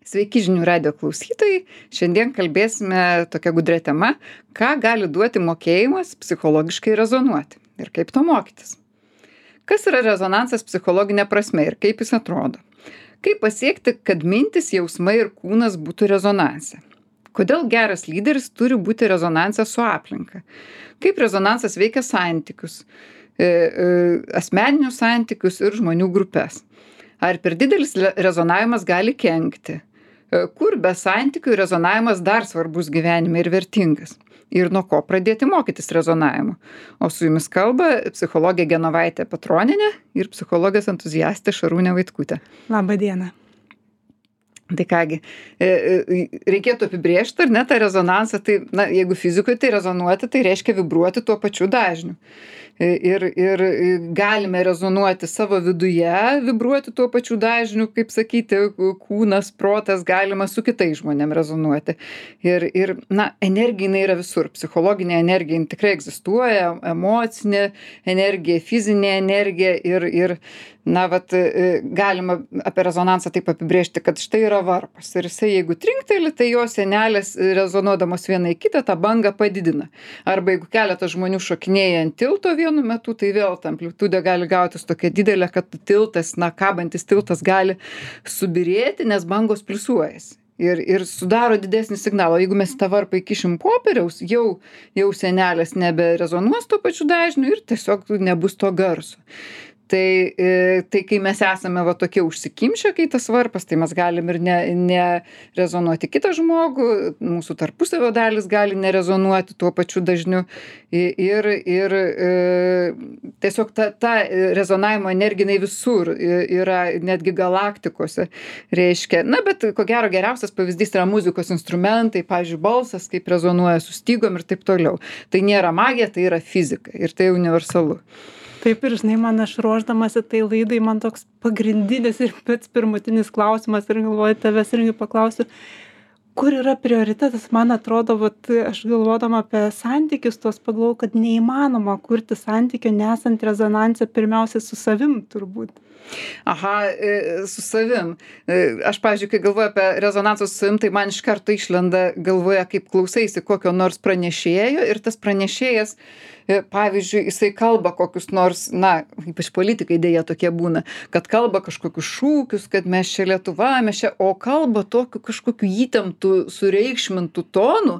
Sveiki žinių radijo klausytojai. Šiandien kalbėsime tokia gudria tema, ką gali duoti mokėjimas psichologiškai rezonuoti ir kaip to mokytis. Kas yra rezonansas psichologinė prasme ir kaip jis atrodo? Kaip pasiekti, kad mintis, jausmai ir kūnas būtų rezonanse? Kodėl geras lyderis turi būti rezonanse su aplinka? Kaip rezonansas veikia santykius, asmeninius santykius ir žmonių grupės? Ar per didelis rezonavimas gali kenkti? Kur be santykių rezonavimas dar svarbus gyvenime ir vertingas? Ir nuo ko pradėti mokytis rezonavimo? O su jumis kalba psichologė Genovaitė Petronienė ir psichologijos entuziastė Šarūnė Vaitkutė. Labą dieną. Tai kągi, reikėtų apibrėžti, ar ne, tą rezonansą, tai, jeigu fizikoje tai rezonuoti, tai reiškia vibruoti tuo pačiu dažniu. Ir galime rezonuoti savo viduje, vibruoti tuo pačiu dažniu, kaip sakyti, kūnas, protas, galima su kitais žmonėm rezonuoti. Ir energija jinai yra visur, psichologinė energija jinai tikrai egzistuoja, emocinė energija, fizinė energija ir galima apie rezonansą taip apibrėžti, kad štai yra varpas ir jisai jeigu trinkteli, tai jo sienelės rezonuodamos viena į kitą tą bangą padidina. Arba jeigu keletas žmonių šokinėja ant tilto vienu metu, tai vėl ta amplitudė gali gautis tokia didelė, kad tiltas, kabantis tiltas gali subirėti, nes bangos pliusuojasi. Ir sudaro didesnį signalą. Jeigu mes tą varpą įkišim popieriaus, jau sienelės neberezonuos tuo pačiu dažniu ir tiesiog nebus to garso. Tai kai mes esame tokie užsikimšę, kai tas varpas, tai mes galim ir nerezonuoti kitą žmogų, mūsų tarpusavio dalis gali nerezonuoti tuo pačiu dažniu ir tiesiog ta rezonavimo energija visur yra, netgi galaktikose reiškia. Bet ko gero geriausias pavyzdys yra muzikos instrumentai, pavyzdžiui, balsas, kaip rezonuoja su stygom ir taip toliau. Tai nėra magija, tai yra fizika ir tai universalu. Taip ir žinai, aš ruošdamasi tai laidai, man toks pagrindinis ir pats pirmutinis klausimas ir galvoju, tavęs irgi paklausiu, kur yra prioritetas, man atrodo, aš galvodama apie santykius, tos pagalvojau, kad neįmanoma kurti santykio nesant rezonanse pirmiausia su savim turbūt. Su savim. Aš, pavyzdžiui, kai galvoju apie rezonansą su savim, tai man iš karto išlenda galvoje, kaip klausaisi kokio nors pranešėjo ir tas pranešėjas, pavyzdžiui, jisai kalba kokius nors, ypač politikai dėja tokie būna, kad kalba kažkokius šūkius, kad mes čia Lietuva, o kalba tokiu kažkokiu įtemptu, sureikšmintu tonu,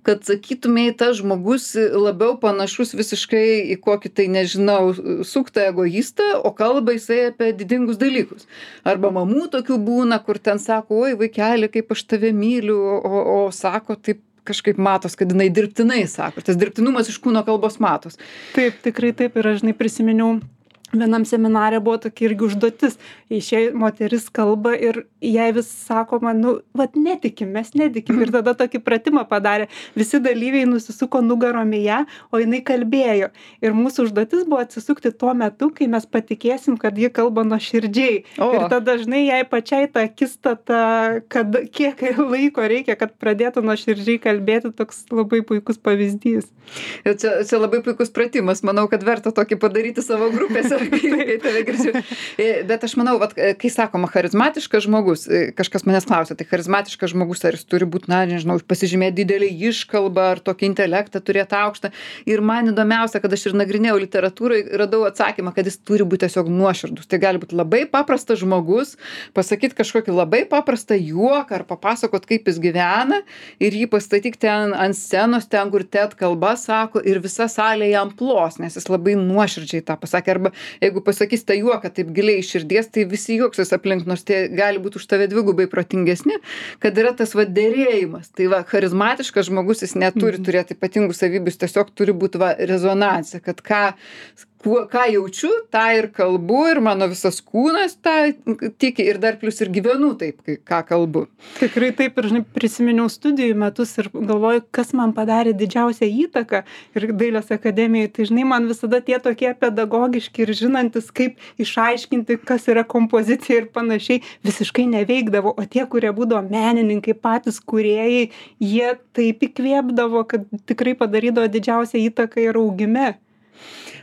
kad sakytumei, tas žmogus labiau panašus visiškai į kokį tai, nežinau, suktą egoistą, o kalba jisai apie didingus dalykus. Arba mamų tokių būna, kur ten sako, oi vaikeli, kaip aš tave myliu, o sako taip, kažkaip matos, kad jinai dirbtinai sako. Tas dirbtinumas iš kūno kalbos matos. Taip, tikrai taip. Ir aš prisiminiau, vienam seminare buvo tokia irgi užduotis. Išėjai moteris kalba ir jai vis sakoma, netikim, mes netikim. Ir tada tokį pratimą padarė. Visi dalyviai nusisuko nugarom į ją, o jinai kalbėjo. Ir mūsų užduotis buvo atsisukti tuo metu, kai mes patikėsim, kad ji kalba nuoširdžiai. Ir tada dažnai jai pačiai tą akistatą, kad kiek laiko reikia, kad pradėtų nuoširdžiai kalbėti, toks labai puikus pavyzdys. Ir čia labai puikus pratimas. Manau, kad verta tokį padaryti savo grupėse. Kai tave girdžiu. Bet aš manau, kai sakoma charizmatiškas žmogus, kažkas manęs klausia, tai charizmatiškas žmogus, ar jis turi būti, pasižymėti didelį iškalbą, ar tokį intelektą turėti aukštą. Ir man įdomiausia, kad aš ir nagrinėjau literatūrai, radau atsakymą, kad jis turi būti tiesiog nuoširdus. Tai gali būti labai paprastas žmogus, pasakyti kažkokį labai paprastą juoką, ar papasakot, kaip jis gyvena, ir jį pastatyti ten ant scenos, ten, kur TED kalba sako, ir visa salė jam plos, nes jis labai nuoširdžiai tą pasakė. Arba jeigu pasakys tą juoką taip giliai iš širdies, tai visi juoksis aplink, nors tie gali būti už tave dvigubai protingesni, kad yra tas derėjimas. Tai charizmatiškas žmogus, jis neturi turėti ypatingų savybių, jis tiesiog turi būti rezonancija, kad ką jaučiu, tą ir kalbu, ir mano visas kūnas tą tiki, ir dar plius ir gyvenu taip, ką kalbu. Tikrai taip, ir prisiminiau studijų metus ir galvoju, kas man padarė didžiausią įtaką ir Dailės akademijai. Tai man visada tie tokie pedagogiški ir žinantis, kaip išaiškinti, kas yra kompozicija ir panašiai, visiškai neveikdavo. O tie, kurie būdavo menininkai, patys kūrėjai, jie taip įkvėpdavo, kad tikrai padarydavo didžiausią įtaką ir augime.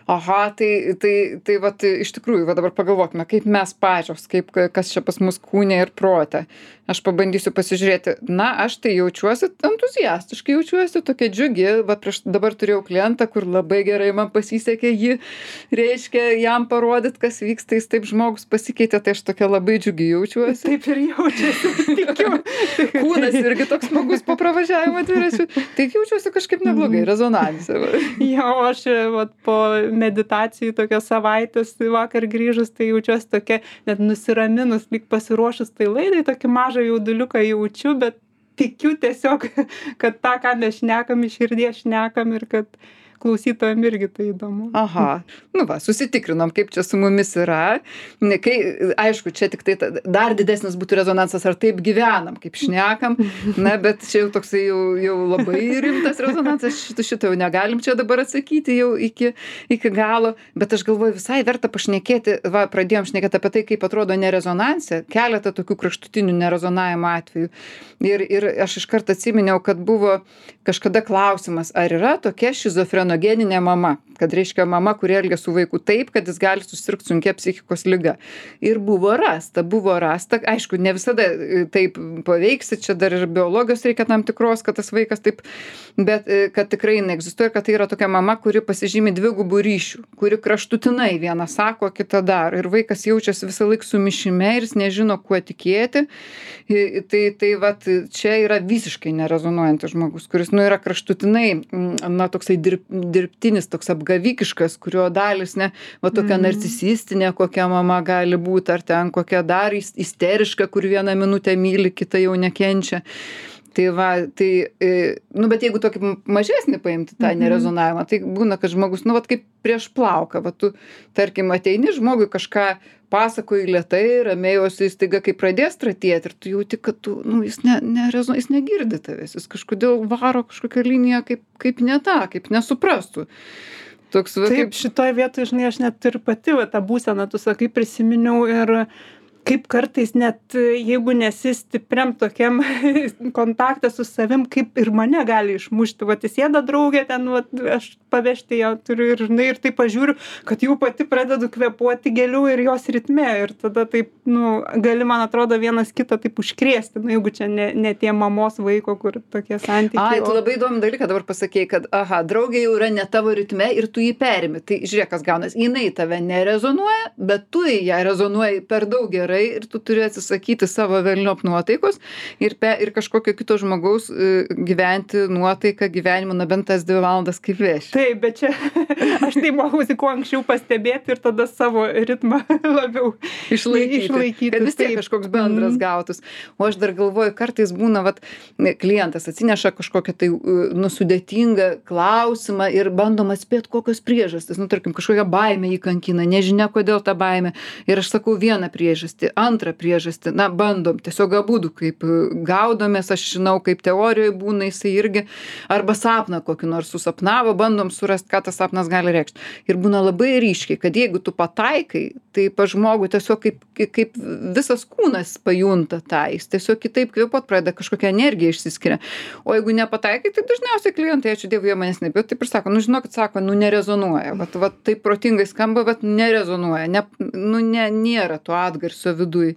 Tai vat iš tikrųjų, dabar pagalvokime, kaip mes pačios, kas čia pas mus kūne ir prote. aš pabandysiu pasižiūrėti, na, aš tai jaučiuosi entuziastiškai, jaučiuosi tokia džiugi, va prieš dabar turėjau klientą, kur labai gerai man pasisekė jį, reiškia, jam parodyt, kas vyksta, jis taip žmogus pasikeitė, tai aš tokia labai džiugi jaučiuosi. Taip ir jaučiasi, tikiu. Kūnas irgi toks smagus po pravažiavimo dviračiu, tai jaučiuosi kažkaip neblogai, rezonanse. Jo, aš vat, po meditacijų tokios savaitės vakar grįžus, tai jaučiuosi tokia net nusiraminus, lyg pasiruošus tai laidai, tokį mažą jauduliuką jaučiu, bet tikiu tiesiog, kad tą, ką mes šnekam, iš širdies šnekam ir kad klausytojam irgi tai įdomu. Aha, nu va, susitikrinom, kaip čia su mumis yra. Kai, aišku, čia tik tai dar didesnis būtų rezonansas, ar taip gyvenam, kaip šnekam, na, bet čia jau toksai jau labai rimtas rezonansas, šitą jau negalim čia dabar atsakyti jau iki galo, bet aš galvoju, visai verta pašnekėti, va, pradėjom šnekėti apie tai, kaip atrodo nerezonansė, keletą tokių kraštutinių nerezonavimo atvejų. Ir aš iškart atsiminiau, kad buvo kažkada klausimas, ar yra tokia šizofrenogeninė mama, kad reiškia mama, kuri elgia su vaiku taip, kad jis gali susirgti sunkia psichikos liga. Ir buvo rasta, aišku, ne visada taip paveiksi, čia dar ir biologijos reikia tam tikros, kad tas vaikas taip, bet kad tikrai neegzistuoja, kad tai yra tokia mama, kuri pasižymi dvigubų ryšių, kuri kraštutinai vieną sako, kitą daro. Ir vaikas jaučiasi visą laiką sumišime ir jis nežino, kuo tikėti. Tai vat, čia yra visiškai nerezonuojantis žmogus, kuris, nu, yra kraštutinai, na, toksai dirbtinis, toks apgavikiškas, kurio dalis, ne, va, tokia narcisistinė, kokia mama gali būti, ar ten kokia dar isteriška, kur vieną minutę myli, kitą jau nekenčia. Tai va, nu, bet jeigu tokį mažesnį paimti tą nerezonavimą, tai būna, kad žmogus, nu, va, kaip prieš plauką, va, tu, tarkim, ateini žmogui kažką pasakoji lėtai, ramiai, o jis staiga, kai pradės tratėti ir tu jauti, kad tu, nu, jis negirdi tavęs, jis kažkodėl varo kažkokią liniją kaip ne tą, kaip nesuprastų. Toks, va, taip, šitoje vietoje, žinai, aš net ir pati va, tą būseną, tu sakai, prisiminiau ir kaip kartais net jeigu nesi stipriam tokiam kontakte su savim, kaip ir mane gali išmušti. Vat įsėda draugė ten, vat, aš pavežti ją turiu ir, žinai, ir taip pažiūriu, kad jau pati pradedu kvėpuoti gėlių ir jos ritme. Ir tada taip, nu, gali, man atrodo, vienas kitą taip užkrėsti. Nu, jeigu čia ne tie mamos vaiko, kur tokie santykiai. Ai, tu labai įdomų dalyką dabar pasakėjai, kad, aha, draugė jau yra ne tavo ritme ir tu jį perimi. Tai žiūrėk, kas gaunas. Jinai tave nerezonuoja, bet tu į ją rezonuoji per daug gerai ir tu turi atsisakyti savo velniop nuotaikos ir kažkokio kito žmogaus gyventi nuotaiką gyvenimą, na bent tas 2 valandas kaip veši. Taip, bet čia aš tai mokausi kuo anksčiau pastebėti ir tada savo ritmą labiau išlaikyti. Kad vis tiek kažkoks bendras gautus. O aš dar galvoju, kartais būna, vat, klientas atsineša kažkokią tai sudėtingą klausimą ir bandom atspėti kokios priežastys. Nu, tarkim, kažkokia baimė jį kankina, nežinia kodėl ta baimė. Ir aš sakau vieną priežastį, antrą priežastį, na, bandom, tiesiog abudu kaip gaudomės, aš žinau, kaip teorijoje būna, jisai irgi, arba sapną kokį nors susapnavo, bandom surasti, ką tas sapnas gali reikšti. Ir būna labai ryškiai, kad jeigu tu pataikai, tai pa žmogui tiesiog kaip visas kūnas pajunta tą, jis tiesiog kitaip kvėpuot pradeda, kažkokia energija išsiskiria. O jeigu nepataikai, tai dažniausiai klientai, ačiū Dievui, jie manęs nebijot, taip ir sako, nu žinokit, sako, nu nerezonuoja, vat taip protingai skamba, bet nerezonuoja, nėra to atgarsio viduj.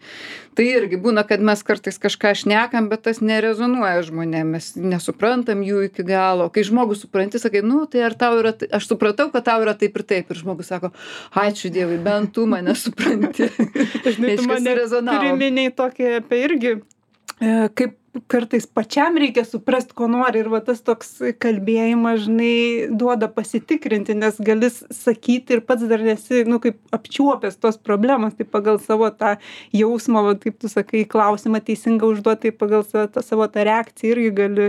Tai irgi būna, kad mes kartais kažką šnekam, bet tas nerezonuoja žmonėm, mes nesuprantam jų iki galo. Kai žmogus supranti, sakai, nu tai ar tau yra, aš supratau, kad tau yra taip ir taip. Ir žmogus sako, ačiū Dievui, bent tu mane supranti. Žinai, tu mane priminei tokį apie irgi, kaip kartais pačiam reikia suprast, ko nori ir va tas toks kalbėjimas, žinai, duoda pasitikrinti, nes gali sakyti ir pats dar nesi, nu, kaip apčiuopęs tos problemos, tai pagal savo tą jausmą, va, kaip tu sakai, klausimą teisingą užduoti, tai pagal savo tą reakciją irgi gali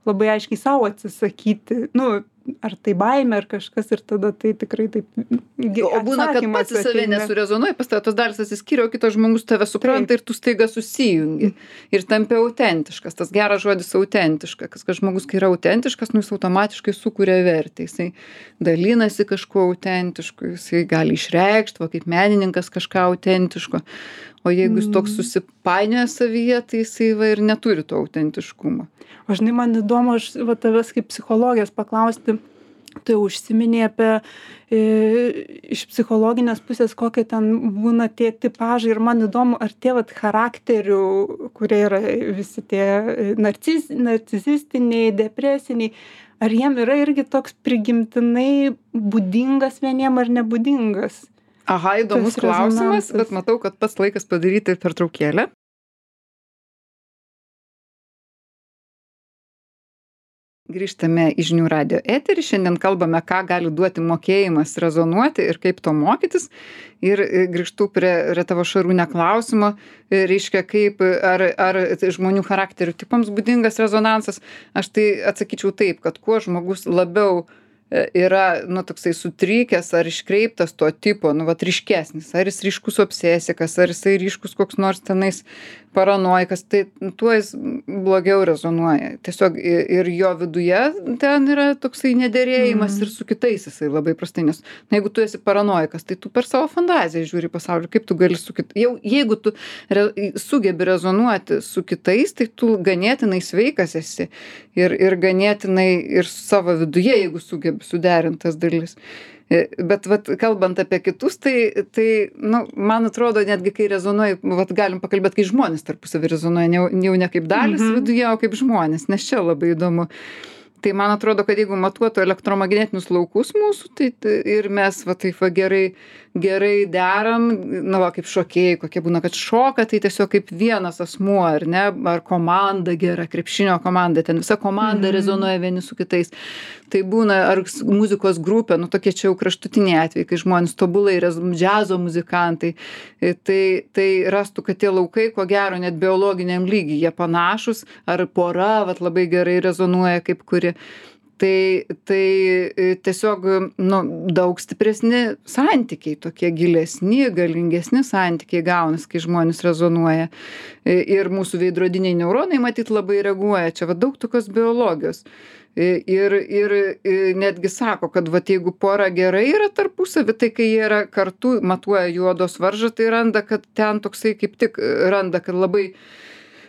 labai aiškiai savo atsisakyti, nu, ar tai baimė, ar kažkas ir tada tai tikrai taip. O būna, kad pats į save nesurezonuoja, pas tave tos dalis atsiskiria, o kitas žmogus tave supranta ir tu staiga susijungi. Ir tampi autentiškas, tas geras žodis autentiškas, kad žmogus, kai yra autentiškas, nu, jis automatiškai sukuria vertę, jisai dalinasi kažkuo autentišku, jisai gali išreikšti, va, kaip menininkas kažką autentiško. O jeigu jis toks susipainioja savyje, tai jisai va ir neturi to autentiškumo. O žinai, man įdomu, aš va tavęs kaip psichologijos paklausti, tu jau užsiminei apie iš psichologinės pusės, kokie ten būna tie tipažai. Ir man įdomu, ar tie vat charakterių, kurie yra visi tie narcisistiniai, depresiniai, ar jiem yra irgi toks prigimtinai būdingas vieniem ar nebūdingas? Aha, įdomus klausimas, bet matau, kad pats laikas padaryti pertraukėlę. Grįžtame į Žinių radijo eterį. Šiandien kalbame, ką gali duoti mokėjimas rezonuoti ir kaip to mokytis. Ir grįžtu prie tavo Šarūne klausimo, reiškia, kaip, ar žmonių charakterių tipams būdingas rezonansas. Aš tai atsakyčiau taip, kad kuo žmogus labiau yra, toksai sutrikęs ar iškreiptas to tipo, vat ryškesnis, ar jis ryškus obsesikas, ar jisai ryškus koks nors tenais paranoikas, tai tuo jis blogiau rezonuoja. Tiesiog ir jo viduje ten yra toksai nederėjimas ir su kitais jisai labai prastai, nes jeigu tu esi paranoikas, tai tu per savo fantaziją žiūri pasaulį, kaip tu gali su kitais. Jeigu tu sugebi rezonuoti su kitais, tai tu ganėtinai sveikas esi ir ganėtinai ir savo viduje, jeigu sugebi suderintas dalis. Bet vat kalbant apie kitus, tai man atrodo, netgi kai rezonuoja, galim pakalbėti, kai žmonės tarpusavį rezonuoja, jau ne kaip dalis viduje, o kaip žmonės, nes čia labai įdomu. Tai man atrodo, kad jeigu matuotų elektromagnetinius laukus mūsų, tai ir mes taip gerai deram, kaip šokėjai, kokie būna, kad šoka, tai tiesiog kaip vienas asmuo, ar ne, ar komanda gera, krepšinio komanda, ten visa komanda rezonuoja vieni su kitais. Tai būna, ar muzikos grupė, tokie čia jau kraštutiniai atvejai, kai žmonės tobulai, džiazo muzikantai, tai rastų, kad tie laukai, ko gero, net biologiniam lygiai jie panašus, ar pora, labai gerai rezonuoja kaip kuri. Tai tiesiog, daug stipresni santykiai, tokie gilesni, galingesni santykiai gaunas, kai žmonės rezonuoja. Ir mūsų veidrodiniai neuronai, matyt, labai reaguoja. Čia daug tokios biologijos. Ir netgi sako, kad jeigu pora gerai yra tarpusavy, tai kai jie yra kartu, matuoja jų odos varžą, tai randa, kad ten toksai kaip tik randa, kad labai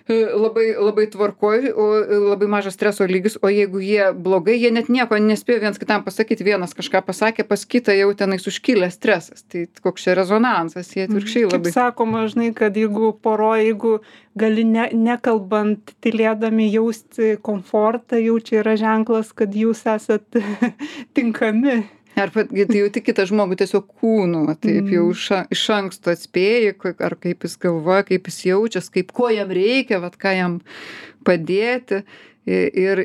tvarkoj, o labai mažas streso lygis, o jeigu jie blogai, jie net nieko nespėjo vienas kitam pasakyti, vienas kažką pasakė, pas kitą jau tenais užkilęs stresas. Tai koks čia rezonansas, jie atvirkščiai labai. Kaip sakoma, žinai, kad jeigu jeigu gali nekalbant, tylėdami jausti komfortą, jau čia yra ženklas, kad jūs esat tinkami. Ar tai jauti kitą žmogų tiesiog kūnu, taip jau iš anksto atspėji, ar kaip jis galvoja, kaip jis jaučias, ko jam reikia, ką jam padėti. Ir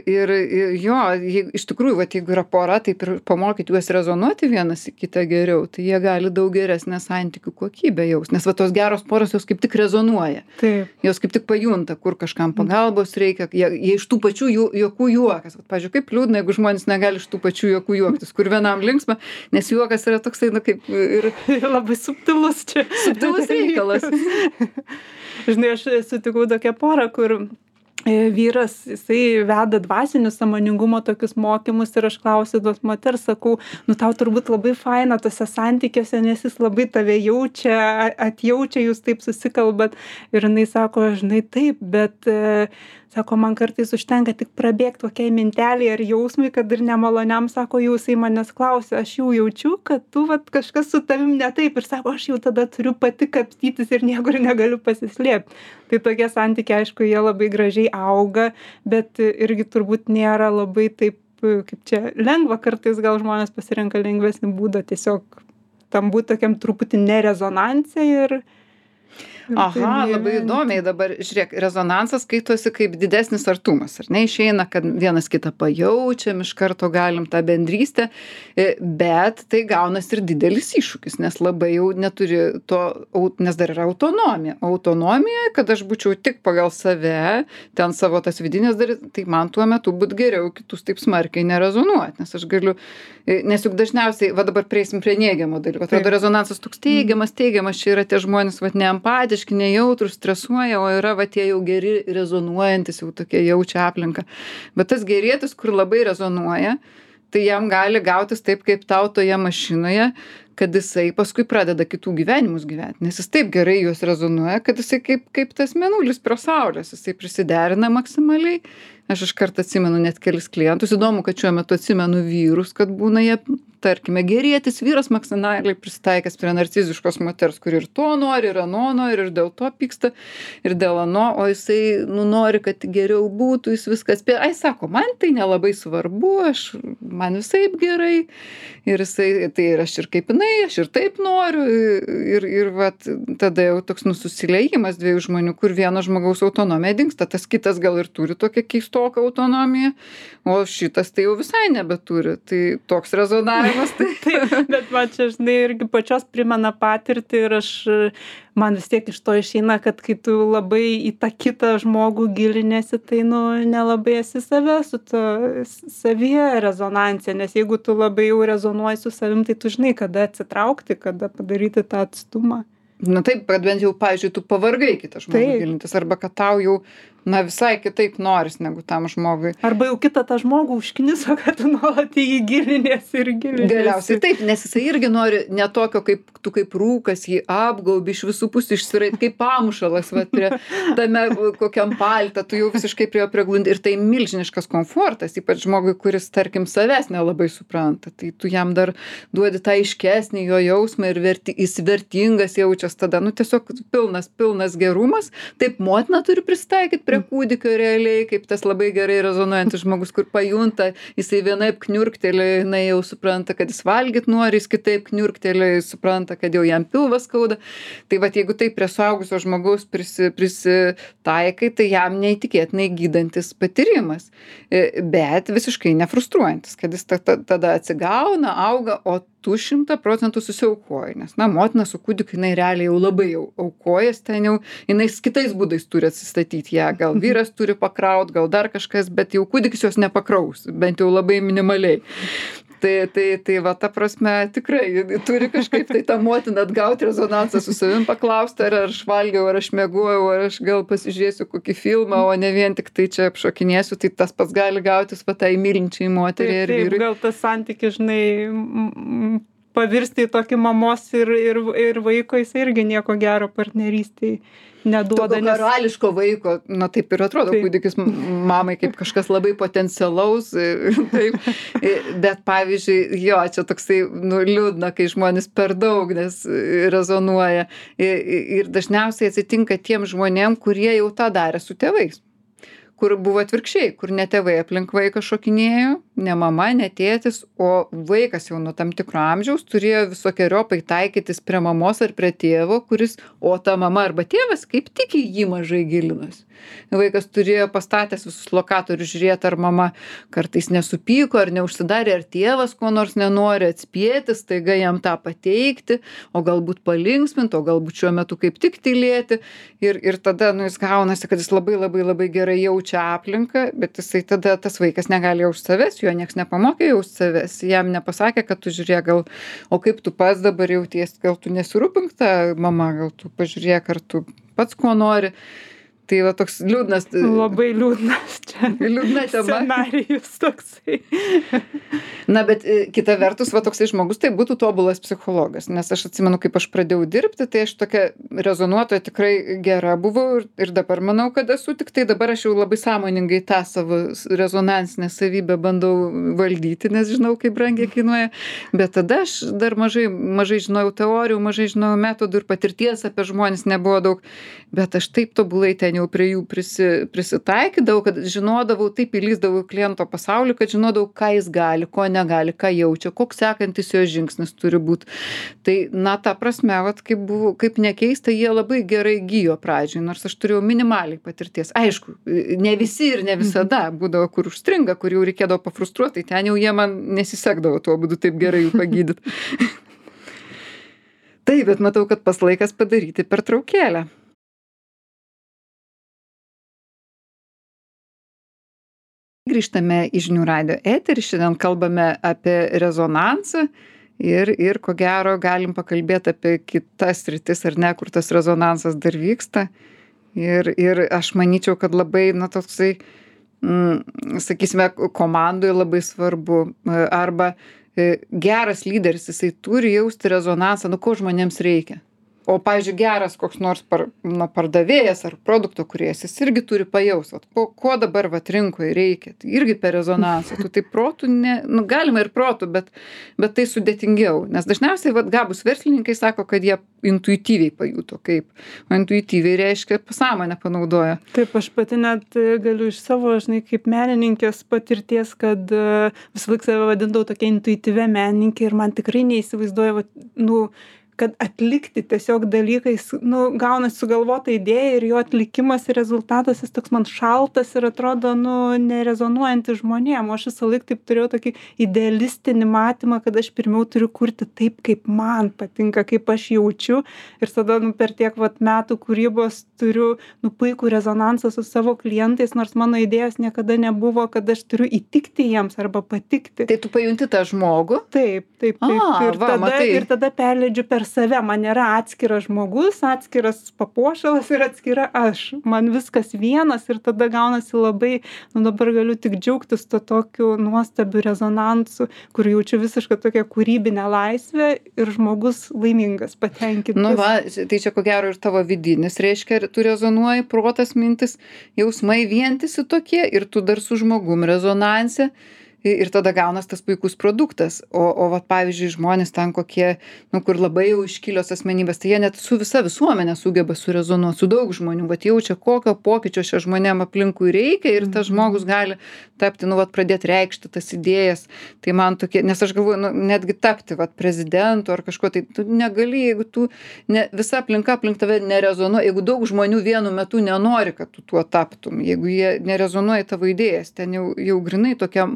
jo, iš tikrųjų, jeigu yra pora, taip ir pamokyti juos rezonuoti vienas į kitą geriau, tai jie gali daug geresnę santykių kokybę jaus. Nes tos geros poros jos kaip tik rezonuoja. Taip. Jos kaip tik pajunta, kur kažkam pagalbos reikia, jie iš tų pačių juokų juokas. Pavyzdžiui, kaip liūdna, jeigu žmonės negali iš tų pačių juokų juoktis, kur vienam linksma, nes juokas yra toksai, kaip ir labai subtilus čia. Subtilus reikalas. Žinai, aš sutikau tokią porą, kur vyras, jisai veda dvasinio sąmoningumo tokius mokymus ir aš klausiu tos moters, sakau, tau turbūt labai faina tose santykiuose, nes jis labai tave jaučia, atjaučia, jūs taip susikalbat. Ir jinai sako, žinai, taip, bet sako, man kartais užtenka tik prabėgti kokiai mintelį ar jausmui, kad ir nemaloniam, sako, jisai manęs klausia, aš jau jaučiu, kad tu kažkas su tavim ne taip. Ir sako, aš jau tada turiu pati kapstytis ir niekur negaliu pasislėpti. Tai tokie santykiai, aišku, jie labai gražiai auga, bet irgi turbūt nėra labai taip, kaip čia, lengva. Kartais gal žmonės pasirenka lengvesnį būdą tiesiog tam būti tokiam truputį nerezonanse ir Aha, labai įdomiai dabar, žiūrėk, rezonansas skaitosi kaip didesnis artumas, ar ne? Išeina, kad vienas kitą pajaučiam, iš karto galim tą bendrystę, bet tai gaunas ir didelis iššūkis, nes labai jau neturi to, nes dar yra autonomija. Autonomija, kad aš būčiau tik pagal save, ten savo tas vidinės dalis, tai man tuo metu būt geriau kitus taip smarkiai nerezonuoti, nes aš galiu, nes juk dažniausiai, dabar prieisim prie neigiamo dalyko, atrodo rezonansas toks teigiamas, čia yra tie žmonės, neempatiški, nejautrūs, stresuoja, o yra tie jau geri rezonuojantis, jau tokie jaučia aplinką. Bet tas gerėtis, kur labai rezonuoja, tai jam gali gautis taip, kaip tau toje mašinoje, kad jisai paskui pradeda kitų gyvenimus gyvent, nes jis taip gerai juos rezonuoja, kad jisai kaip tas mėnulis prie saulės, jisai prisiderina maksimaliai. Aš iškart atsimenu net kelis klientus, įdomu, kad šiuo metu atsimenu vyrus, kad būna jie, tarkime, gerietis vyras maksimaliai prisitaikęs prie narciziškos moters, kur ir to nori, ir ano nori, ir dėl to pyksta, ir dėl ano, o jisai nori, kad geriau būtų, jis viskas spėjo. Ai, sako, man tai nelabai svarbu, man visaip gerai, ir jisai, tai ir aš ir kaip jinai, aš ir taip noriu, ir vat, tada jau toks susiliejimas dviejų žmonių, kur vieno žmogaus autonomija dingsta, tas kitas gal ir turi tokią keistoką autonomiją, o šitas tai jau visai nebeturi. Tai toks rezonavimas. Taip, bet man čia, žinai, irgi pačios primena patirtį ir man vis tiek iš to išeina, kad kai tu labai į tą kitą žmogų gilinėsi, tai, nelabai esi su to savyje rezonancija, nes jeigu tu labai jau rezonuoji su savim, tai tu žinai, kada atsitraukti, kada padaryti tą atstumą. Na taip, kad bent jau, pavyzdžiui, tu pavargai kitą žmogų gilintis, arba kad tau jau, visai kitaip noris negu tam žmogui. Arba jau kitą tą žmogų užkniso, kad tu nuolat į jį gilinėsi ir gilinėsi. Galiausiai taip, nes jisai irgi nori ne tokio, kaip tu kaip rūkas, jį apgaubi iš visų pusių išsirait, kaip pamušalas, prie tame kokiam paltą, tu jau visiškai prie jo priglundi. Ir tai milžiniškas komfortas, ypač žmogui, kuris, tarkim, savęs nelabai supranta. Tai tu jam dar duodi tą aiškesnį jo jausmą ir jis vertingas jaučias tada, tiesiog pilnas gerumas. Taip motina turi prisitaikyti prie kūdikio realiai, kaip tas labai gerai rezonuojantis žmogus, kur pajunta, jisai vienaip kniurkteli, jinai jau supranta, kad jis valgyt nori, jis kitaip kniurkteli, jis supranta, kad jau jam pilvas skauda. Tai vat, jeigu taip prie suaugusio žmogaus prisitaikai, tai jam neįtikėtinai gydantis patyrimas, bet visiškai nefrustruojantis, kad jis tada atsigauna, auga, o tu 100% susiaukoji, nes, motina su kūdikiu, jinai realiai jau labai aukojas, ten jau, jinai kitais būdais turi atsistatyti ją, gal vyras turi pakraut, gal dar kažkas, bet jau kūdikis jos nepakraus, bent jau labai minimaliai. Tai va, ta prasme, tikrai turi kažkaip tai tą motiną atgauti rezonansą su savim, paklausti, ar aš valgiau, ar aš miegojau, ar aš gal pasižiūrėsiu kokį filmą, o ne vien tik tai čia apšokinėsiu, tai tas pats gali gautis va tai mylinčiai moteriai ir vyrui. Gal tas santykis, žinai, pavirsti į tokį mamos ir vaiko, jis irgi nieko gero partnerystėj neduoda. Tokio karališko vaiko, taip ir atrodo, kūdikis mamai kaip kažkas labai potencialaus, taip, bet pavyzdžiui, čia toksai, liūdna, kai žmonės per daug, nes rezonuoja, ir dažniausiai atsitinka tiem žmonėm, kurie jau tą darė su tėvais, kur buvo atvirkščiai, kur ne tėvai aplink vaiką šokinėjo, ne mama, ne tėtis, o vaikas jau nuo tam tikro amžiaus turėjo visokeriopai taikytis prie mamos ar prie tėvo, o ta mama arba tėvas kaip tik į jį mažai gilinosi. Vaikas turėjo pastatęs visus lokatorius žiūrėti, ar mama kartais nesupyko, ar neužsidarė, ar tėvas ko nors nenori atspėti, staiga jam tą pateikti, o galbūt palinksminti, o galbūt šiuo metu kaip tik tylėti. Ir tada jis gaunasi, kad jis labai labai labai gerai jaučia aplinką, bet jisai tada tas vaikas negali jausti savęs, jo nieks nepamokė jausti savęs, jam nepasakė, kad tu žiūrėk, o kaip tu pats dabar jauties, gal tu nesirūpink tą mamą, gal tu pažiūrėk, ar tu pats ko nori. Tai va toks liūdnas. Labai liūdnas čia. Liūdna tema. Scenarijus toksai. Bet kita vertus, va toksai žmogus, tai būtų tobulas psichologas. Nes aš atsimenu, kaip aš pradėjau dirbti, tai aš tokia rezonuotoja tikrai gera buvau ir dabar manau, kad esu, tik tai dabar aš jau labai sąmoningai tą savo rezonansinę savybę bandau valdyti, nes žinau, kaip brangiai kainuoja. Bet tada aš dar mažai žinojau teorijų, mažai žinojau metodų ir patirties apie žmonės nebuvo daug. Bet aš taip tobulai ten jau prie jų prisitaikydavau, kad žinodavau, taip įlįsdavau į kliento pasaulį, kad žinodavau, ką jis gali, ko negali, ką jaučia, koks sekantis jo žingsnis turi būti. Tai, ta prasme, kaip nekeista, jie labai gerai gyjo pradžioj, nors aš turėjau minimaliai patirties. Aišku, ne visi ir ne visada būdavo, kur užstringa, kur jau reikėdavo pafrustruoti, tai ten jau jie man nesisekdavo tuo būdu taip gerai jų pagydyti. Taip, bet matau, kad pas laikas padaryti pertraukėlę. Grįžtame į Žinių radijo eterį, šiandien kalbame apie rezonansą ir ko gero galim pakalbėti apie kitas sritis, ar ne, kur tas rezonansas dar vyksta. Ir aš manyčiau, kad labai, toksai, sakysime, komandoje labai svarbu, arba geras lyderis, jisai turi jausti rezonansą, nu ko žmonėms reikia. O, pavyzdžiui, geras koks nors pardavėjas ar produkto kūrėjas, jis irgi turi pajaust, ko dabar rinkoje reikia. Tai irgi per rezonansą. Tu tai protų, galima ir protų, bet tai sudėtingiau. Nes dažniausiai gabūs verslininkai sako, kad jie intuityviai pajuto kaip. O intuityviai reiškia pasąmonę panaudoja. Taip, aš pati net galiu iš savo, kaip menininkės patirties, kad visą laiką save vadindavau tokia intuityvia menininkė ir man tikrai neįsivaizduoja, kad atlikti tiesiog dalykais, gaunasi sugalvota idėja ir jo atlikimas ir rezultatas, jis toks man šaltas ir atrodo, nerezonuojantis žmonėm. O aš visą laiką taip turėjau tokį idealistinį matymą, kad aš pirmiau turiu kurti taip, kaip man patinka, kaip aš jaučiu. Ir tada per tiek metų kūrybos turiu puikų rezonansą su savo klientais, nors mano idėjos niekada nebuvo, kad aš turiu įtikti jiems arba patikti. Tai tu pajunti tą žmogų? Taip. Ir tada perleidžiu per save. Man nėra atskiras žmogus, atskiras papuošalas ir atskira aš. Man viskas vienas ir tada gaunasi labai, dabar galiu tik džiaugtis to tokiu nuostabiu rezonansu, kur jaučiu visišką tokią kūrybinę laisvę ir žmogus laimingas, patenkintas. Tai čia ko gero ir tavo vidinis, reiškia, tu rezonuoji, protas, mintis, jausmai vientisi tokie ir tu dar su žmogum rezonanse. Ir tada gaunas tas puikus produktas. O pavyzdžiui, žmonės ten kokie, kur labai jau iškilios asmenybės, tai jie net su visa visuomenė sugeba surezonuoti, su daug žmonių, jaučia, kokio pokyčio šia žmonėm aplinkui reikia ir tas žmogus gali tapti, pradėti reikšti tas idėjas. Tai man tokie, nes aš galvoju, netgi tapti prezidentu ar kažko, tai tu negali, jeigu tu, visa aplinka aplink tave nerezonuoja, jeigu daug žmonių vienu metu nenori, kad tu tuo taptum, jeigu jie nerezonuoja tavo idėjas, ten jau grinai tokia,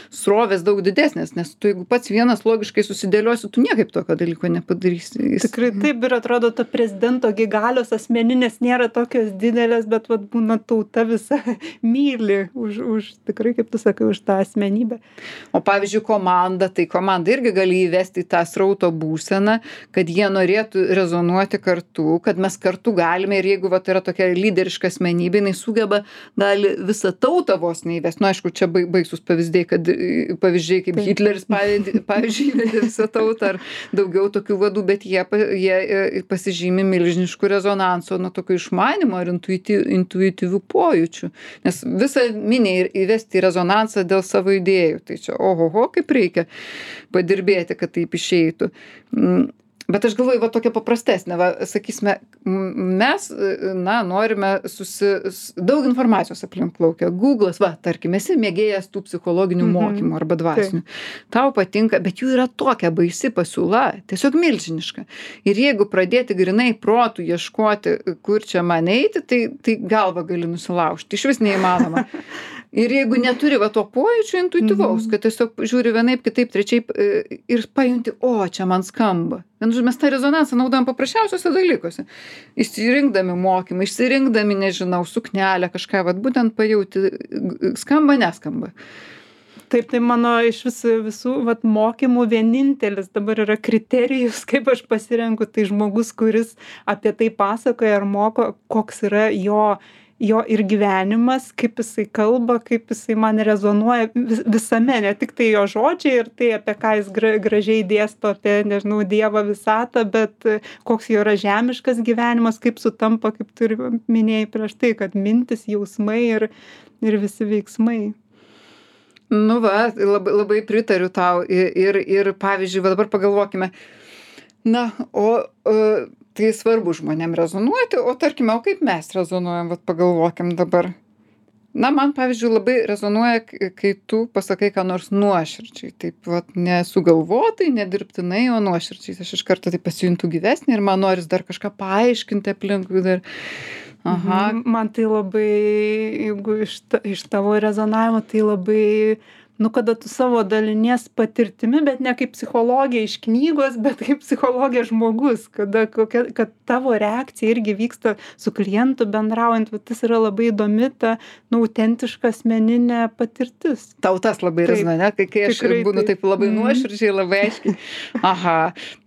srovės daug didesnės, nes tu jeigu pats vienas logiškai susidėliosi, tu niekaip tokio dalyko nepadarysi. Tikrai taip ir atrodo, to prezidento galios asmeninės nėra tokios didelės, bet būna tauta visa myli už tikrai, kaip tu sakai, už tą asmenybę. O pavyzdžiui, komanda irgi gali įvesti į tą srauto būseną, kad jie norėtų rezonuoti kartu, kad mes kartu galime ir jeigu yra tokia lyderiška asmenybė, jinai sugeba, gali visą tautą vos neįvesti. Aišku, čia baisus pavyzdžiai kaip Hitleris, pavyzdžiui, įvedė visą tautą ar daugiau tokių vadų, bet jie pasižymi milžiniškų rezonanso, tokio išmanimo ar intuityvių pojūčių. Nes visą minį įvesti į rezonansą dėl savo idėjų. Tai čia, kaip reikia padirbėti, kad taip išeitų. Bet aš galvoju, tokia paprastesnė, sakysime, mes, norime daug informacijos aplink plaukia. Google'as, tarkim, esi mėgėjas tų psichologinių mokymų arba dvasinių. Tau patinka, bet jų yra tokia baisi pasiūla, tiesiog milžiniška. Ir jeigu pradėti grinai protų ieškoti, kur čia man eiti, tai galvą gali nusilaužti. Iš vis neįmanoma. Ir jeigu neturi to pojūčio intuityvaus, kad tiesiog žiūri vienaip, kitaip, trečiaip ir pajunti, čia man skamba. Mes tą rezonansą naudojam paprasčiausiuose dalykuose. Išsirinkdami mokymą, išsirinkdami, nežinau, suknelę, kažką, būtent pajauti, skamba, neskamba. Taip, tai mano iš visų mokymų vienintelis dabar yra kriterijus, kaip aš pasirenku, tai žmogus, kuris apie tai pasakoja ar moko, koks yra jo ir gyvenimas, kaip jisai kalba, kaip jisai man rezonuoja visame, ne tik tai jo žodžiai ir tai, apie ką jis gražiai dėsto apie, nežinau, Dievą visatą, bet koks jo yra žemiškas gyvenimas, kaip sutampa, kaip tu minėjai prieš tai, kad mintis, jausmai ir visi veiksmai. Labai, labai pritariu tau ir pavyzdžiui, dabar pagalvokime, tai svarbu žmonėm rezonuoti, o tarkime, kaip mes rezonuojam, pagalvokim dabar. Man, pavyzdžiui, labai rezonuoja, kai tu pasakai, ką nors nuoširdžiai, taip nesugalvotai, nedirbtinai, o nuoširdžiai. Aš iš karto tai pasijuntu gyvesnį ir man noris dar kažką paaiškinti aplinkui dar. Man tai labai, jeigu iš tavo rezonavimo, tai labai, kada tu savo dalinies patirtimi, bet ne kaip psichologija iš knygos, bet kaip psichologija žmogus, kad tavo reakcija irgi vyksta su klientu bendraujant, tas yra labai įdomi, ta autentiška asmeninė patirtis. Tau tas labai rezonuoja, kai aš būnu taip labai nuoširdžiai, labai aiškiai.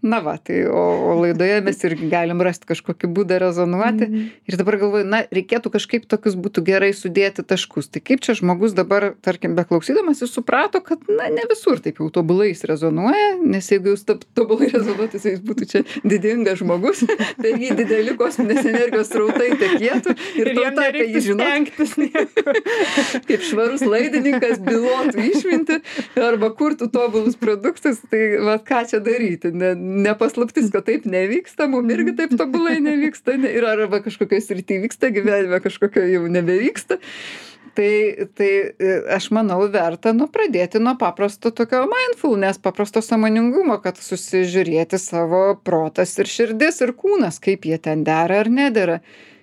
Na va, tai o laidoje mes irgi galim rasti kažkokį būdą rezonuoti. Ir dabar galvoju, na, reikėtų kažkaip tokius būtų gerai sudėti taškus. Tai kaip čia žmogus dabar, tarkim, beklausydamas, jis suprato, kad, na, ne visur taip jau tobulai jis rezonuoja, nes jeigu jis tobulai rezonuotų, tai jis būtų čia didingas žmogus, tai jį dideli kosminės energijos srautai tekėtų ir tauta, kai jį žinotų, kaip švarus laidininkas bylotų išminti arba kurtų tobulus produktus, tai va, ką čia daryti? Nepaslaptis, kad taip nevyksta, mum irgi taip tobulai nevyksta ir arba kažkokioj srity vyksta, gyvenime kažkokio jau nebevyksta. Tai aš manau verta pradėti nuo paprasto tokio mindfulness, paprasto sąmoningumo, kad susižiūrėti savo protas ir širdis ir kūnas, kaip jie ten dera ar nedera.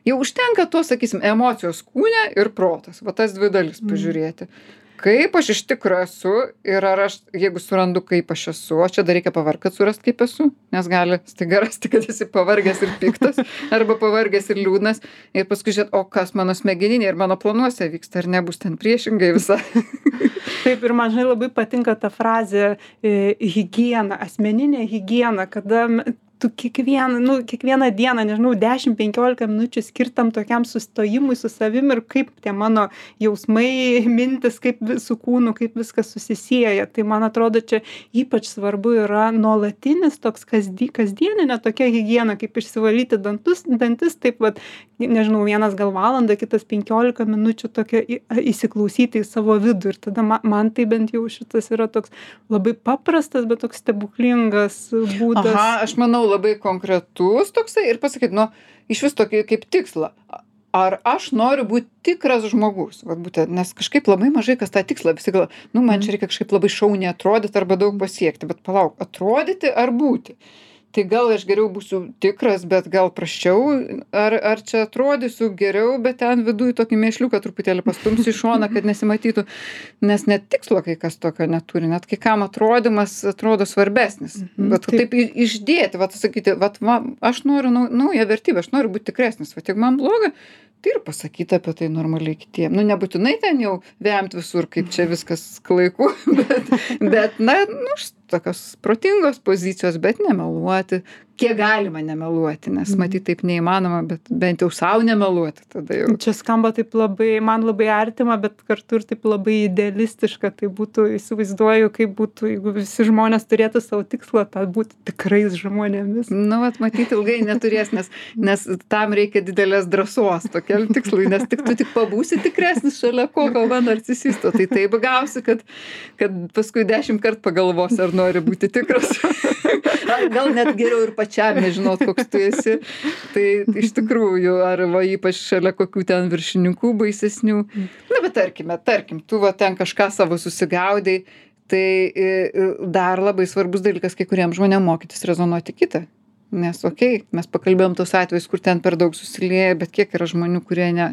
Jau užtenka to, sakysim, emocijos kūne ir protas, va tas dvi dalis pažiūrėti. Kaip aš iš tikro esu ir ar aš, jeigu surandu, kaip aš esu, o čia dar reikia pavargt, kad surast, kaip esu, nes gali staiga rasti, kad esi pavargęs ir piktas, arba pavargęs ir liūdnas, ir paskui žiūrėt, o kas mano smegeninė ir mano planuose vyksta, ar nebus ten priešingai visai. Taip, ir man žinai labai patinka ta frazė higiena, asmeninė higiena, kada tu kiekvieną dieną, nežinau, 10-15 minučių skirtam tokiam sustojimui su savim ir kaip tie mano jausmai, mintis, kaip su kūnu, kaip viskas susisieja. Tai man atrodo, čia ypač svarbu yra nuolatinis toks kasdieninė tokia higiena, kaip išsivalyti dantis, taip vat, nežinau, vienas gal valandą, kitas 15 minučių tokia įsiklausyti į savo vidų. Ir tada man tai bent jau šitas yra toks labai paprastas, bet toks stebuklingas būdas. Aha, aš manau, labai konkretus toksai ir pasakyt, iš vis tokį kaip tikslą. Ar aš noriu būti tikras žmogus? Vat būtent, nes kažkaip labai mažai kas tą tikslą visi galvoja, man čia reikia kažkaip labai šauniai atrodyti arba daug pasiekti, bet palauk, atrodyti ar būti? Tai gal aš geriau būsiu tikras, bet gal prasčiau, ar čia atrodysiu geriau, bet ten viduj tokį mėšliuką truputėlį pastumsiu į šoną, kad nesimatytų, nes net tikslo kai kas tokio neturi, net kai kam atrodymas atrodo svarbesnis. Bet taip išdėti, sakyti, aš noriu naują vertybę, aš noriu būti tikresnis, jeigu man bloga, tai ir pasakyti apie tai normaliai kitiem. Nebūtinai ten jau vemt visur, kaip čia viskas klaiku, bet tokios protingos pozicijos, bet nemeluoti. Kiek galima nemeluoti, nes matyt taip neįmanoma, bet bent jau savo nemeluoti tada jau. Čia skamba taip man labai artima, bet kartu ir taip labai idealistiška. Tai būtų, įsivaizduoju, kaip būtų, jeigu visi žmonės turėtų savo tikslą, tą būti tikrais žmonėmis. Matyt ilgai neturės, nes tam reikia didelės drąsos tokiam tikslui, nes tu tik pabūsi tikresnis šalia kokio narcisisto. Tai taip gausi, kad paskui 10 kartų pagalvosi, ar nori būti tikras. Gal net geriau ir pačiam nežinot, koks tu esi. Tai iš tikrųjų, ar ypač šalia kokių ten viršininkų baisesnių. Bet tarkim, tu ten kažką savo susigaudai, tai dar labai svarbus dalykas kai kuriems žmonėms mokytis rezonuoti kitą. Nes, mes pakalbėjom tos atvejus, kur ten per daug susilieja, bet kiek yra žmonių, kurie ne.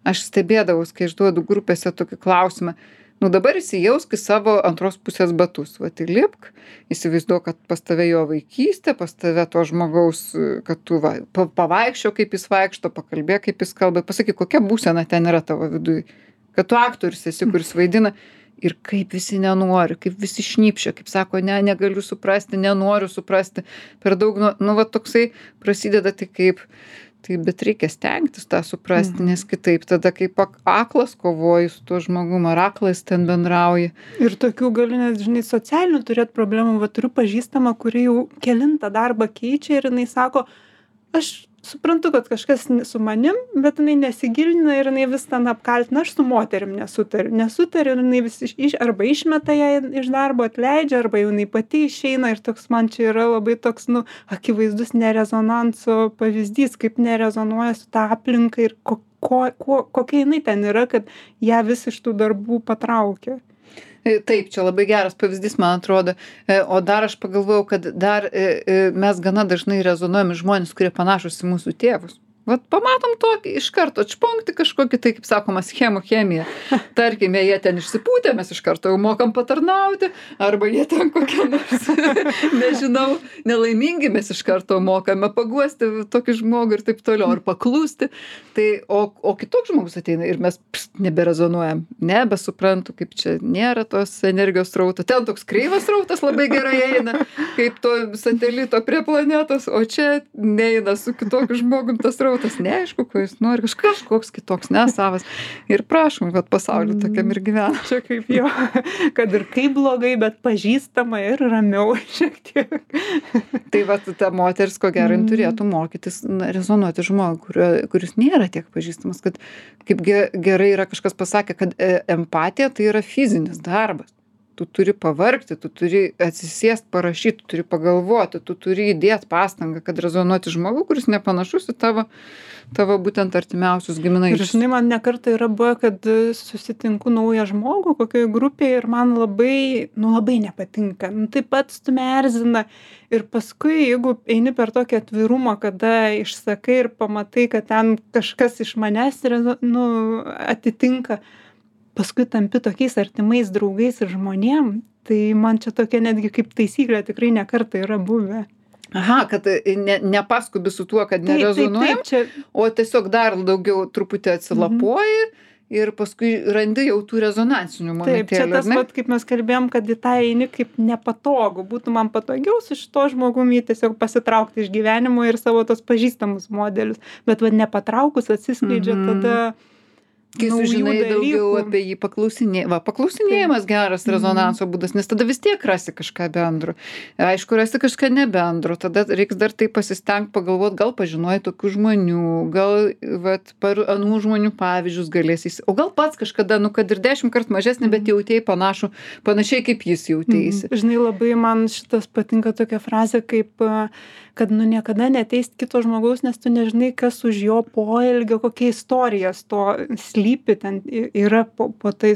Aš stebėdavau, kai išduodu grupėse tokį klausimą. Dabar įsijausk į savo antros pusės batus. Įlipk, įsivaizduok, kad pas tave jo vaikystė, pas tave to žmogaus, kad tu pavaikščio, kaip jis vaikšto, pakalbėk, kaip jis kalba, pasakyk, kokia būsena ten yra tavo viduj. Kad tu aktorius esi, kuris vaidina ir kaip visi nenori, kaip visi šnypšia, kaip sako, negaliu suprasti, nenoriu suprasti. Per daug, toksai prasideda tai kaip... Taip, bet reikia stengtis tą suprasti, nes kitaip tada kaip aklas kovoji su tuo žmogum, ar aklas ten bendrauji. Ir tokių gali net, socialinių turėti problemų. Turiu pažįstamą, kuri jau kelintą darbą keičia ir jinai sako, aš suprantu, kad kažkas su manim, bet jinai nesigilina ir jinai vis ten apkaltina, aš su moterim nesutariu ir jinai vis arba išmeta ją iš darbo, atleidžia, arba jinai pati išeina ir toks man čia yra labai toks, akivaizdus nerezonanso pavyzdys, kaip nerezonuoja su ta aplinka ir kokia jinai ten yra, kad ją vis iš tų darbų patraukia. Taip, čia labai geras pavyzdys, man atrodo. O dar aš pagalvojau, kad dar mes gana dažnai rezonuojame žmonės, kurie panašus į mūsų tėvus. Vat pamatom tokį, iš karto atšponkti kažkokį, tai kaip sakoma, schemų chemija. Tarkime, jie ten išsipūtė, mes iš karto jau mokam patarnauti, arba jie ten kokie nors, nežinau, nelaimingi, mes iš karto mokame paguosti tokį žmogų ir taip toliau, ar paklūsti. Tai, o kitoks žmogus ateina ir mes neberezonuojam, nebesuprantu, kaip čia nėra tos energijos srauto. Ten toks kreivas srautas labai gerai eina, kaip to satelito prie planetos, o čia neina su kitokiu žmogum tas srautas, neaišku, ko jis nori, kažkoks kitoks, nesavas. Ir prašom, kad pasaulyje tokiam ir gyvena. Čia kaip jo, kad ir kaip blogai, bet pažįstama ir ramiau šiek tiek. Tai va, ta moteris, ko gero, turėtų mokytis rezonuoti žmogų, kuris nėra tiek pažįstamas, kad kaip gerai yra kažkas pasakė, kad empatija tai yra fizinis darbas. Tu turi pavargti, tu turi atsisėst, parašyti, tu turi pagalvoti, tu turi įdėti pastangą, kad rezonuoti žmogų, kuris nepanašus į tavo būtent artimiausius giminaičius. Ir žinai, man nekartą yra buvę, kad susitinku naują žmogų kokioje grupėje ir man labai nepatinka. Taip pat stumia erzina. Ir paskui, jeigu eini per tokį atvirumą, kada išsakai ir pamatai, kad ten kažkas iš manęs atitinka, paskui tampi tokiais artimais draugais ir žmonėm, tai man čia tokia netgi kaip taisyklė tikrai nekartą yra buvę. Aha, kad nepaskubi su tuo, kad nerezonuojam, o tiesiog dar daugiau truputį atsilapoji ir paskui randi jau tų rezonansinių momentėlių. Taip, čia tas pat, kaip mes kalbėjom, kad į tą eini kaip nepatogu. Būtų man patogiau su šito žmogumi tiesiog pasitraukti iš gyvenimo ir savo tos pažįstamus modelius. Bet nepatraukus atsiskleidžia tada kai sužinai daugiau apie jį paklausinėjimas geras rezonanso būdas, nes tada vis tiek rasi kažką bendro. Aišku, rasi kažką nebendro, tada reiks dar tai pasistengti pagalvoti, gal pažinojai tokių žmonių, gal per anų žmonių pavyzdžius galėsi, o gal pats kažkada, kad ir 10 kartų mažesnį, bet jautėjai panašiai kaip jis jautėsi. Žinai, labai man šitas patinka tokia frazė, kaip kad niekada neteist kito žmogaus, nes tu nežinai, kas už jo poelgio, kokia istorija to slypi, ten yra po to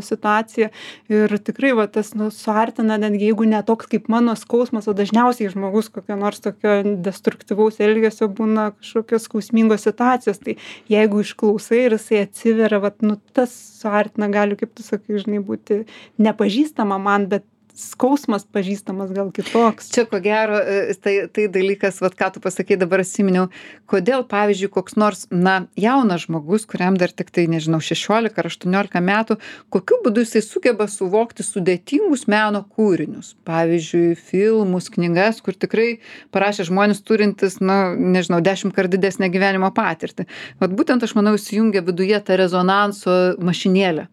situacija. Ir tikrai tas suartina, netgi jeigu ne toks kaip mano skausmas, o dažniausiai žmogus kokio nors tokio destruktyvaus elgesio būna kažkokios skausmingos situacijos. Tai jeigu išklausai ir jisai atsiveria, tas suartina, gali, kaip tu sakai, žinai, būti nepažįstama man, bet skausmas pažįstamas gal kitoks. Čia ko gero, tai dalykas, ką tu pasakei, dabar atsiminiau, kodėl, pavyzdžiui, koks nors, jaunas žmogus, kuriam dar tik tai, nežinau, 16 ar 18 metų, kokiu būdu jisai sugeba suvokti sudėtingus meno kūrinius. Pavyzdžiui, filmus, knygas, kur tikrai parašė žmonės turintis, 10 kart didesnę gyvenimo patirtį. Būtent, aš manau, įsijungia viduje tą rezonanso mašinėlę.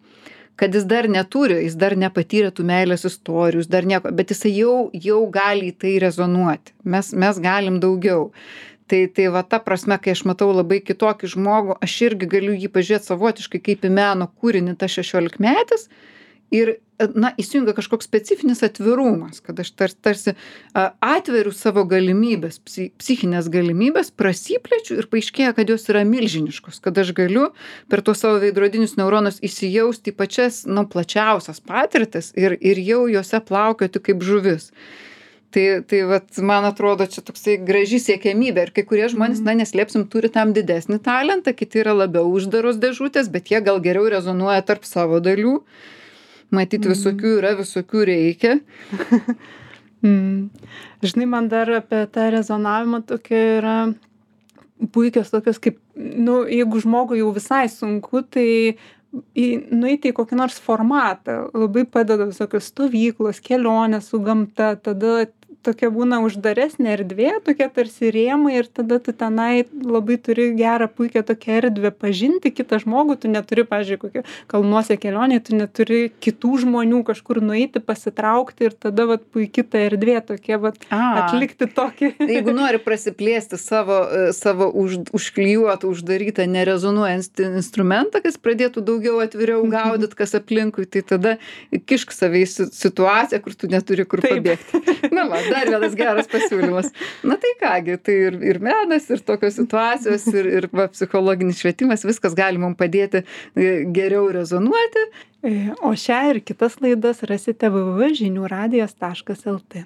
Kad jis dar neturi, jis dar nepatyrė tų meilės istorijų, dar nieko, bet jisai jau gali į tai rezonuoti. Mes galim daugiau. Tai ta prasme, kai aš matau labai kitokį žmogų, aš irgi galiu jį pažiūrėti savotiškai kaip į meno kūrinį, ta 16-metis. Ir, įsijungia kažkoks specifinis atvirumas, kad aš tarsi atveriu savo galimybės, psichinės galimybės, prasiplečiu ir paaiškėja, kad jos yra milžiniškos, kad aš galiu per tuos savo veidrodinius neuronus įsijausti į pačias, plačiausias patirtis ir jau jose plaukioti kaip žuvis. Tai man atrodo, čia toksai graži siekiamybė ir kai kurie žmonės, neslėpsim, turi tam didesnį talentą, kiti yra labiau uždaros dėžutės, bet jie gal geriau rezonuoja tarp savo dalių. Matyti visokių yra, visokių reikia. Žinai, man dar apie tą rezonavimą tokia yra puikios tokios kaip, jeigu žmogui jau visai sunku, tai nueiti į kokį nors formatą. Labai padeda visokios stovyklos, kelionės su gamta, tada tokia būna uždaresnė erdvė, tokie tarsi rėmai ir tada tu tenai labai turi gerą, puikią tokią erdvę pažinti kitą žmogų, tu neturi, pavyzdžiui, kokią kalnuose kelionė, tu neturi kitų žmonių kažkur nueiti, pasitraukti ir tada puikiai ta erdvė tokia atlikti tokį. Jeigu nori prasiplėsti savo užklijuotą, uždarytą, nerezonuojantį instrumentą, kas pradėtų daugiau atviriau gaudyt, kas aplinkui, tai tada kišk save į situaciją, kur tu neturi kur pabėgti. Dar vienas geras pasiūlymas. Tai kągi, tai ir menas, ir tokios situacijos, ir psichologinis švietimas, viskas gali mums padėti geriau rezonuoti. O šią ir kitas laidas rasite www.žiniuradijas.lt.